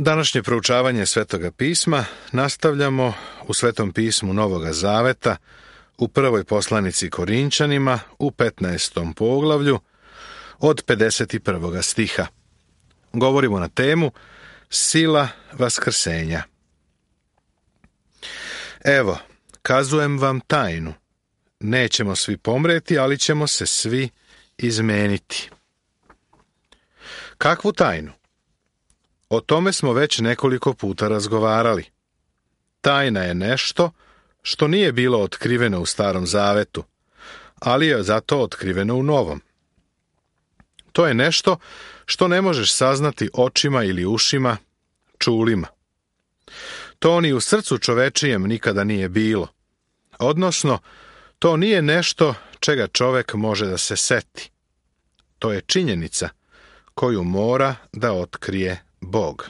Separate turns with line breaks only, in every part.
Današnje proučavanje Svetoga pisma nastavljamo u Svetom pismu Novoga Zaveta, u prvoj poslanici Korinčanima, u 15. poglavlju, od 51. stiha. Govorimo na temu Sila vaskrsenja. Evo, kazujem vam tajnu. Nećemo svi pomreti, ali ćemo se svi izmeniti. Kakvu tajnu? O tome smo već nekoliko puta razgovarali. Tajna je nešto što nije bilo otkriveno u Starom Zavetu, ali je zato otkriveno u Novom. To je nešto što ne možeš saznati očima ili ušima, čulima. To ni u srcu čovečijem nikada nije bilo. Odnosno, to nije nešto čega čovek može da se seti. To je činjenica koju mora da otkrije Bog.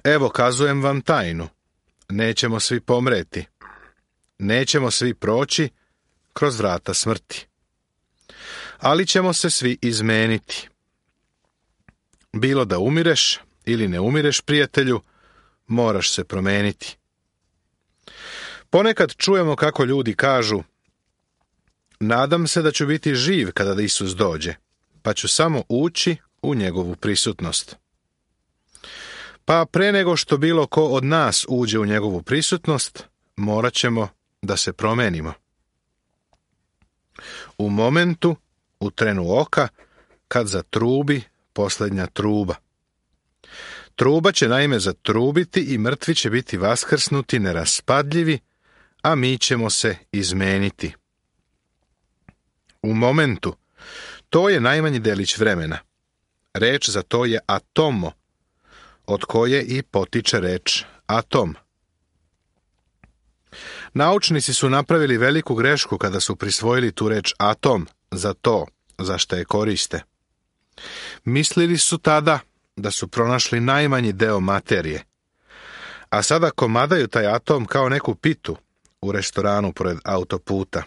Evo, kazujem vam tajnu. Nećemo svi pomreti. Nećemo svi proći kroz vrata smrti. Ali ćemo se svi izmeniti. Bilo da umireš ili ne umireš, prijatelju, moraš se promeniti. Ponekad čujemo kako ljudi kažu: nadam se da ću biti živ kada Isus dođe, pa ću samo ući u njegovu prisutnost. Pa pre nego što bilo ko od nas uđe u njegovu prisutnost, morat ćemo da se promenimo. U momentu, u trenu oka, kad zatrubi posljednja truba. Truba će naime zatrubiti i mrtvi će biti vaskrsnuti neraspadljivi, a mi ćemo se izmeniti. U momentu, to je najmanji delić vremena. Reč za to je atomo, od koje i potiče reč atom. Naučnici su napravili veliku grešku kada su prisvojili tu reč atom za to za što je koriste. Mislili su tada da su pronašli najmanji deo materije, a sada komadaju taj atom kao neku pitu u restoranu pored autoputa.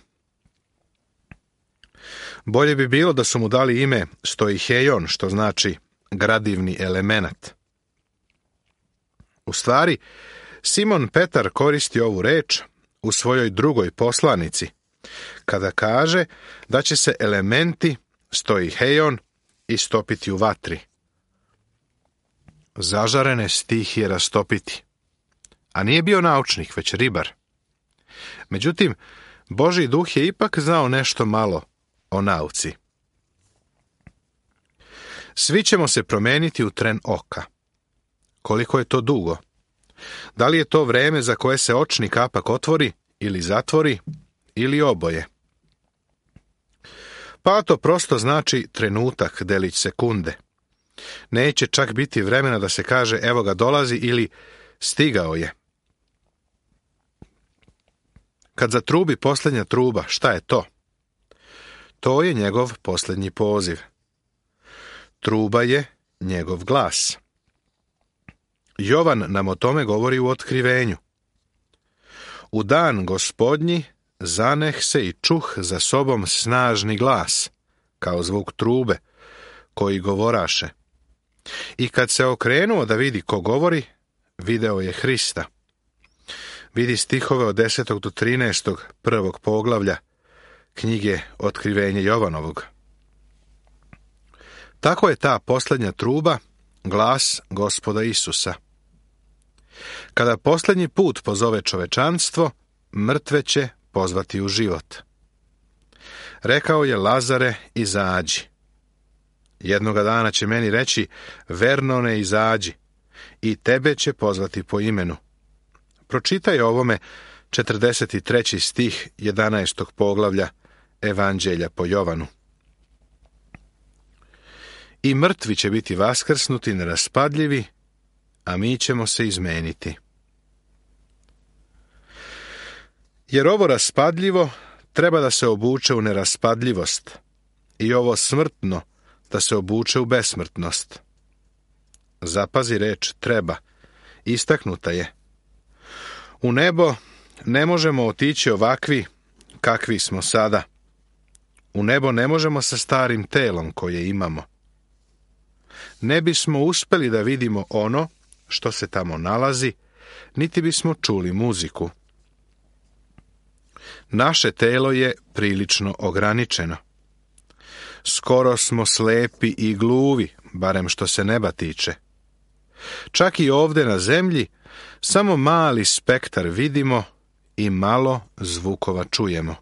Bolje bi bilo da su mu dali ime stoiheion, što znači gradivni elemenat. U stvari, Simon Petar koristi ovu reč u svojoj drugoj poslanici, kada kaže da će se elementi stoiheion istopiti u vatri. Zažarene stihije rastopiti. A nije bio naučnik, već ribar. Međutim, Božji duh je ipak znao nešto malo o nauci. Svi ćemo se promeniti u tren oka. Koliko je to dugo? Da li je to vreme za koje se očni kapak otvori ili zatvori, ili oboje? Pa to prosto znači trenutak, delić sekunde. Neće čak biti vremena da se kaže evo ga dolazi ili stigao je. Kad zatrubi posljednja truba, šta je to? To je njegov posljednji poziv. Truba je njegov glas. Jovan nam o tome govori u Otkrivenju. U dan Gospodnji zaneh se i čuh za sobom snažni glas, kao zvuk trube, koji govoraše. I kad se okrenuo da vidi ko govori, video je Hrista. Vidi stihove od 10. do 13. prvog poglavlja knjige Otkrivenje Jovanovog. Tako je ta posljednja truba glas Gospoda Isusa. Kada posljednji put pozove čovečanstvo, mrtve će pozvati u život. Rekao je: Lazare, izađi. Jednoga dana će meni reći: Vernone, izađi, i tebe će pozvati po imenu. Pročitaj ovome 43. stih 11. poglavlja Evanđelja po Jovanu. I mrtvi će biti vaskrsnuti neraspadljivi, a mi ćemo se izmeniti. Jer ovo raspadljivo treba da se obuče u neraspadljivost, i ovo smrtno da se obuče u besmrtnost. Zapazi reč treba, istaknuta je. U nebo ne možemo otići ovakvi kakvi smo sada. U nebo ne možemo sa starim telom koje imamo. ne bismo uspjeli da vidimo ono što se tamo nalazi, niti bismo čuli muziku. Naše telo je prilično ograničeno. Skoro smo slepi i gluvi, barem što se neba tiče. Čak i ovdje na zemlji samo mali spektar vidimo i malo zvukova čujemo.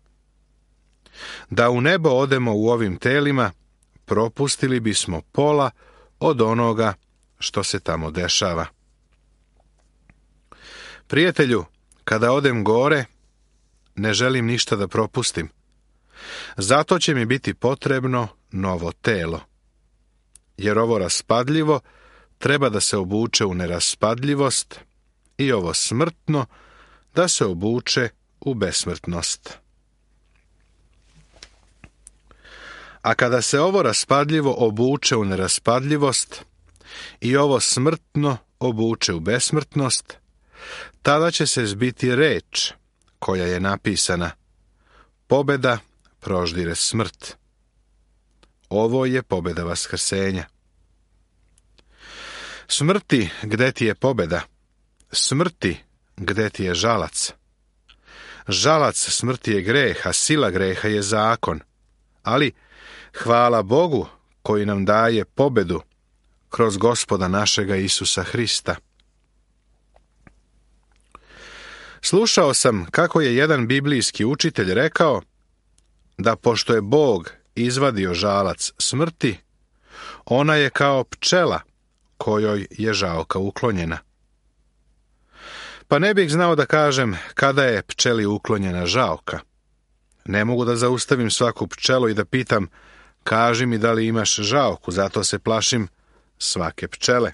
Da u nebo odemo u ovim telima, propustili bismo pola od onoga što se tamo dešava. Prijatelju, kada odem gore, ne želim ništa da propustim. Zato će mi biti potrebno novo telo. Jer ovo raspadljivo treba da se obuče u neraspadljivost i ovo smrtno da se obuče u besmrtnost. A kada se ovo raspadljivo obuče u neraspadljivost i ovo smrtno obuče u besmrtnost, tada će se zbiti reč koja je napisana: pobjeda proždire smrt. Ovo je pobjeda vaskrsenja. Smrti, gde ti je pobjeda? Smrti, gde ti je žalac? Žalac smrti je greh, a sila greha je zakon. Ali hvala Bogu koji nam daje pobjedu kroz Gospoda našega Isusa Hrista. Slušao sam kako je jedan biblijski učitelj rekao da pošto je Bog izvadio žalac smrti, ona je kao pčela kojoj je žaoka uklonjena. Pa ne bih znao da kažem kada je pčeli uklonjena žaoka. Ne mogu da zaustavim svaku pčelu i da pitam: kaži mi da li imaš žaoku, zato se plašim svake pčele.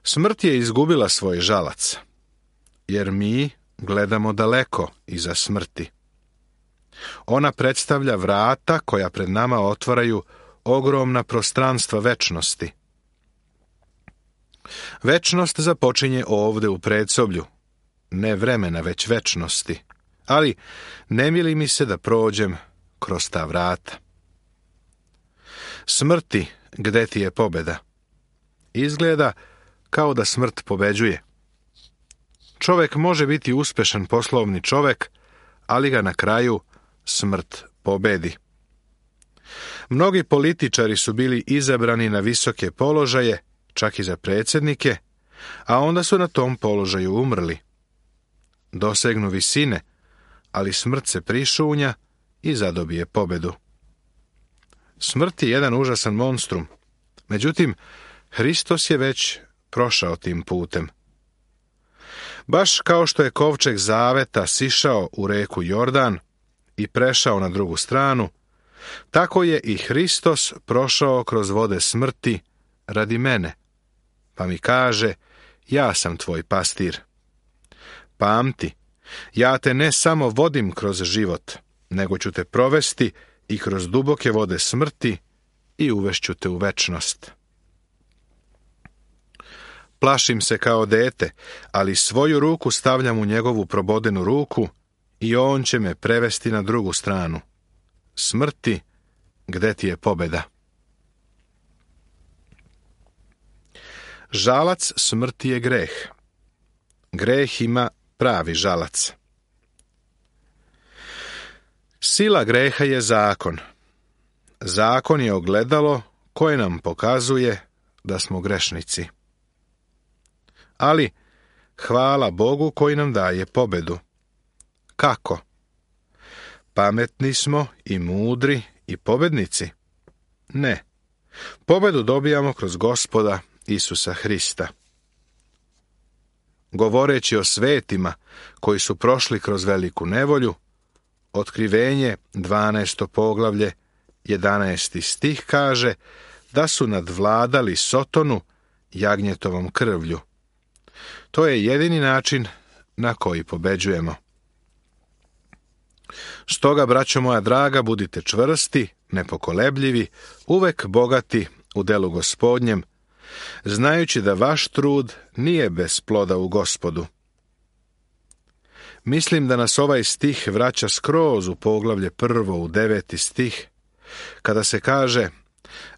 Smrt je izgubila svoj žalac, jer mi gledamo daleko iza smrti. Ona predstavlja vrata koja pred nama otvaraju ogromna prostranstva večnosti. Večnost započinje ovde u predsoblju, ne vremena, već večnosti, ali ne mili mi se da prođem kroz ta vrata. Smrti, gde ti je pobjeda? Izgleda kao da smrt pobeđuje. Čovjek može biti uspešan poslovni čovjek, ali ga na kraju smrt pobedi. Mnogi političari su bili izabrani na visoke položaje, čak i za predsjednike, a onda su na tom položaju umrli. Dosegnu visine, ali smrt se prišunja i zadobije pobedu. Smrt je jedan užasan monstrum, međutim, Hristos je već prošao tim putem. Baš kao što je kovčeg zaveta sišao u reku Jordan i prešao na drugu stranu, tako je i Hristos prošao kroz vode smrti radi mene, pa mi kaže: ja sam tvoj pastir. Pamti, ja te ne samo vodim kroz život, nego ću te provesti i kroz duboke vode smrti i uvešću te u večnost. Plašim se kao dete, ali svoju ruku stavljam u njegovu probodenu ruku i on će me prevesti na drugu stranu. Smrti, gde ti je pobjeda? Žalac smrti je greh. Greh ima pravi žalac. Sila greha je zakon. Zakon je ogledalo koje nam pokazuje da smo grešnici. Ali hvala Bogu koji nam daje pobjedu. Kako? Pametni smo i mudri i pobjednici? Ne. Pobjedu dobijamo kroz Gospoda Isusa Hrista. Govoreći o svetima koji su prošli kroz veliku nevolju, Otkrivenje 12. poglavlje 11. stih kaže da su nadvladali Sotonu jagnjetovom krvlju. To je jedini način na koji pobeđujemo. Stoga, braćo moja draga, budite čvrsti, nepokolebljivi, uvek bogati u delu Gospodnjem, znajući da vaš trud nije bez ploda u Gospodu. Mislim da nas ovaj stih vraća skroz u poglavlje 1. u 9. stih, kada se kaže: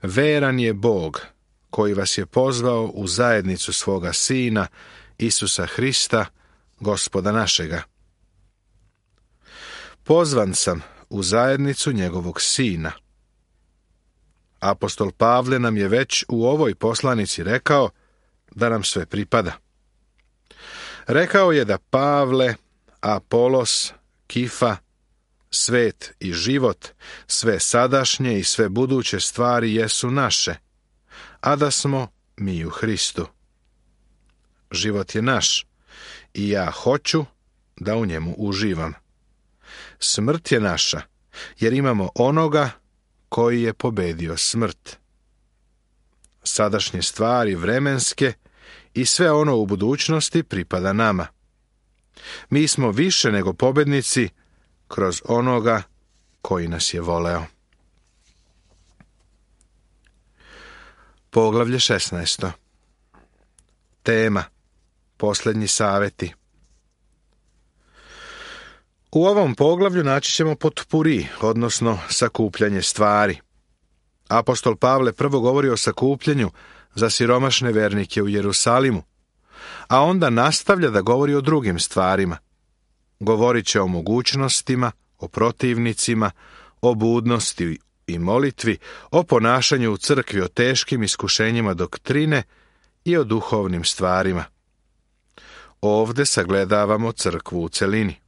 Veran je Bog koji vas je pozvao u zajednicu svoga Sina, Isusa Hrista, Gospoda našega. Pozvan sam u zajednicu njegovog Sina. Apostol Pavle nam je već u ovoj poslanici rekao da nam sve pripada. Rekao je da Pavle, Apolos, Kifa, svet i život, sve sadašnje i sve buduće stvari jesu naše, a da smo mi u Hristu. Život je naš i ja hoću da u njemu uživam. Smrt je naša, jer imamo onoga koji je pobedio smrt. Sadašnje stvari vremenske i sve ono u budućnosti pripada nama. Mi smo više nego pobednici kroz onoga koji nas je voleo. Poglavlje 16. Tema: Posljednji savjeti. U ovom poglavlju naći ćemo potpuri, odnosno sakupljanje stvari. Apostol Pavle prvo govori o sakupljanju za siromašne vernike u Jerusalimu, a onda nastavlja da govori o drugim stvarima. Govorit će o mogućnostima, o protivnicima, o budnosti i molitvi, o ponašanju u crkvi, o teškim iskušenjima doktrine i o duhovnim stvarima. Ovdje sagledavamo crkvu u celini.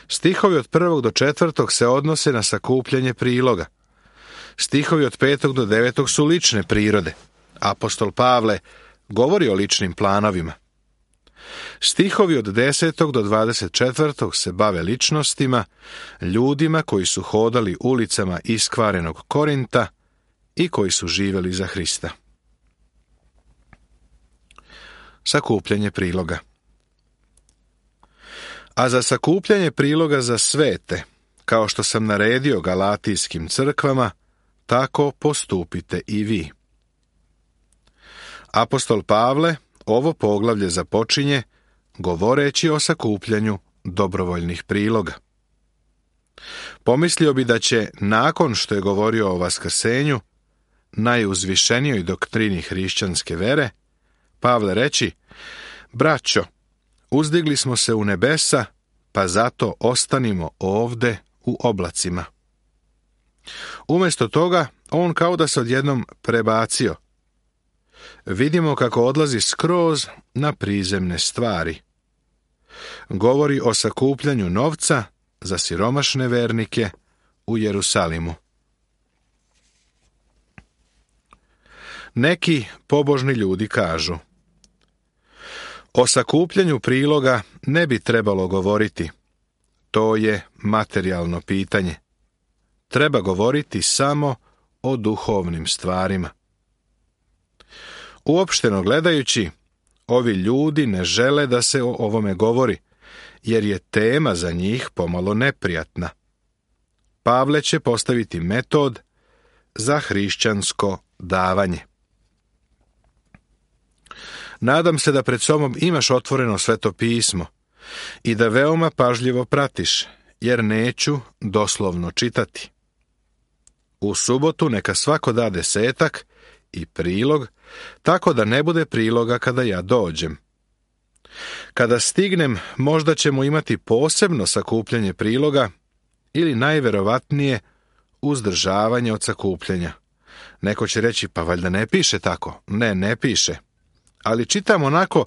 Stihovi od 1. do 4. se odnose na sakupljanje priloga. Stihovi od 5. do 9. su lične prirode. Apostol Pavle govori o ličnim planovima. Stihovi od 10. do 24. se bave ličnostima, ljudima koji su hodali ulicama iskvarenog Korinta i koji su živjeli za Hrista. Sakupljanje priloga. A za sakupljanje priloga za svete, kao što sam naredio galatijskim crkvama, tako postupite i vi. Apostol Pavle ovo poglavlje započinje govoreći o sakupljanju dobrovoljnih priloga. Pomislio bi da će, nakon što je govorio o vaskrsenju, najuzvišenijoj doktrini hrišćanske vere, Pavle reći: braćo, uzdigli smo se u nebesa, pa zato ostanimo ovde u oblacima. Umjesto toga, on kao da se odjednom prebacio. Vidimo kako odlazi skroz na prizemne stvari. Govori o sakupljanju novca za siromašne vernike u Jerusalimu. Neki pobožni ljudi kažu: o sakupljanju priloga ne bi trebalo govoriti. To je materijalno pitanje. Treba govoriti samo o duhovnim stvarima. Uopšteno gledajući, ovi ljudi ne žele da se o ovome govori, jer je tema za njih pomalo neprijatna. Pavle će postaviti metod za hrišćansko davanje. Nadam se da pred sobom imaš otvoreno Sveto pismo i da veoma pažljivo pratiš, jer neću doslovno čitati. U subotu neka svako da 10 i prilog, tako da ne bude priloga kada ja dođem. Kada stignem, možda ćemo imati posebno sakupljanje priloga ili najverovatnije uzdržavanje od sakupljanja. Neko će reći: pa valjda ne piše tako. Ne piše. Ali čitam onako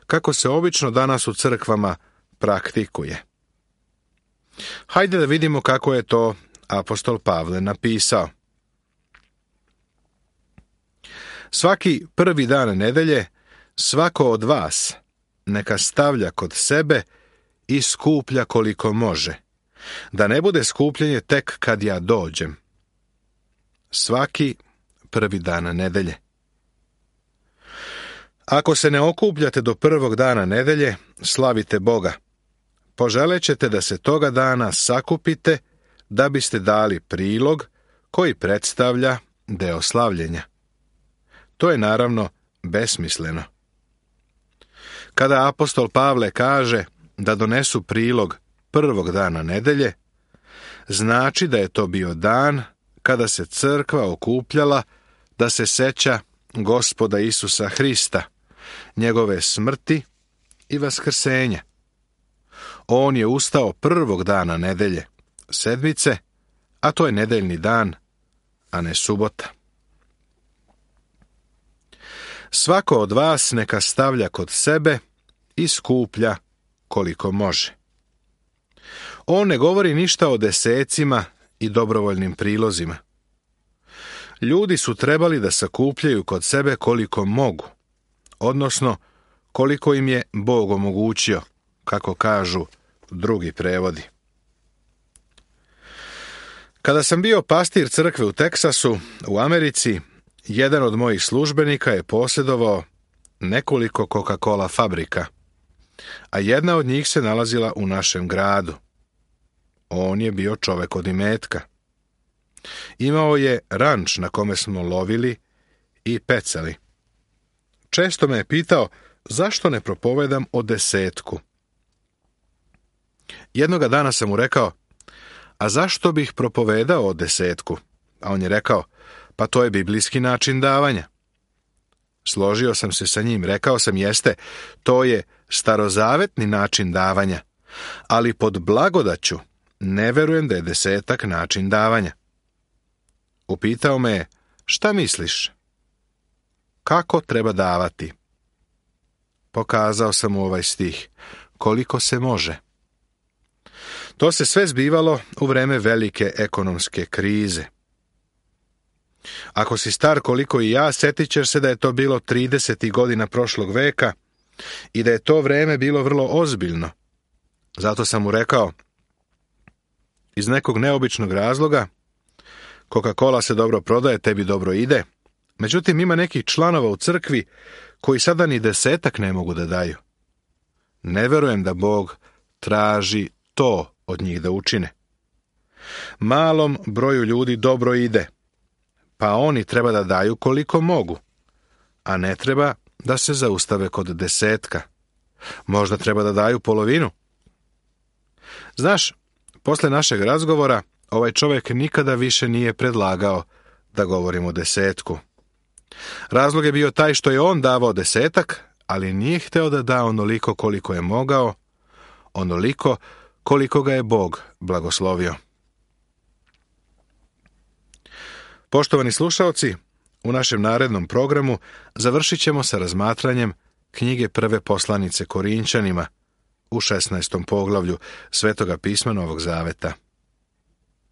kako se obično danas u crkvama praktikuje. Hajde da vidimo kako je to apostol Pavle napisao. Svaki prvi dan nedelje svako od vas neka stavlja kod sebe i skuplja koliko može, da ne bude skupljanje tek kad ja dođem. Svaki prvi dan nedelje. Ako se ne okupljate do prvog dana nedelje, slavite Boga. Poželećete da se toga dana sakupite da biste dali prilog koji predstavlja deo slavljenja. To je naravno besmisleno. Kada apostol Pavle kaže da donesu prilog prvog dana nedelje, znači da je to bio dan kada se crkva okupljala da se seća Gospoda Isusa Hrista, njegove smrti i vaskrsenja. On je ustao prvog dana nedelje, sedmice, a to je nedeljni dan, a ne subota. Svako od vas neka stavlja kod sebe i skuplja koliko može. On ne govori ništa o desecima i dobrovoljnim prilozima. Ljudi su trebali da sakupljaju kod sebe koliko mogu, odnosno koliko im je Bog omogućio, kako kažu drugi prevodi. Kada sam bio pastir crkve u Teksasu, u Americi, jedan od mojih službenika je posjedovao nekoliko Coca-Cola fabrika, a jedna od njih se nalazila u našem gradu. On je bio čovek od imetka. Imao je ranč na kome smo lovili i pecali. Često me je pitao zašto ne propovedam o desetku. Jednoga dana sam mu rekao, a zašto bih propovedao o desetku? A on je rekao, pa to je biblijski način davanja. Složio sam se sa njim, rekao sam, jeste, to je starozavetni način davanja, ali pod blagodaću ne verujem da je desetak način davanja. Upitao me je, šta misliš? Kako treba davati? Pokazao sam mu ovaj stih, koliko se može. To se sve zbivalo u vreme velike ekonomske krize. Ako si star koliko i ja, setit ćeš se da je to bilo 30. godina prošlog veka i da je to vreme bilo vrlo ozbiljno. Zato sam mu rekao, iz nekog neobičnog razloga, Coca-Cola se dobro prodaje, tebi dobro ide, međutim ima nekih članova u crkvi koji sada ni desetak ne mogu da daju. Ne verujem da Bog traži to od njih da učine. Malom broju ljudi dobro ide, pa oni treba da daju koliko mogu, a ne treba da se zaustave kod desetka. Možda treba da daju polovinu. Znaš, posle našeg razgovora, ovaj čovjek nikada više nije predlagao da govorimo o desetku. Razlog je bio taj što je on davao desetak, ali nije hteo da da onoliko koliko je mogao, onoliko koliko ga je Bog blagoslovio. Poštovani slušaoci, u našem narednom programu završit ćemo sa razmatranjem knjige prve poslanice Korinćanima u 16. poglavlju Svetoga pisma Novog Zaveta.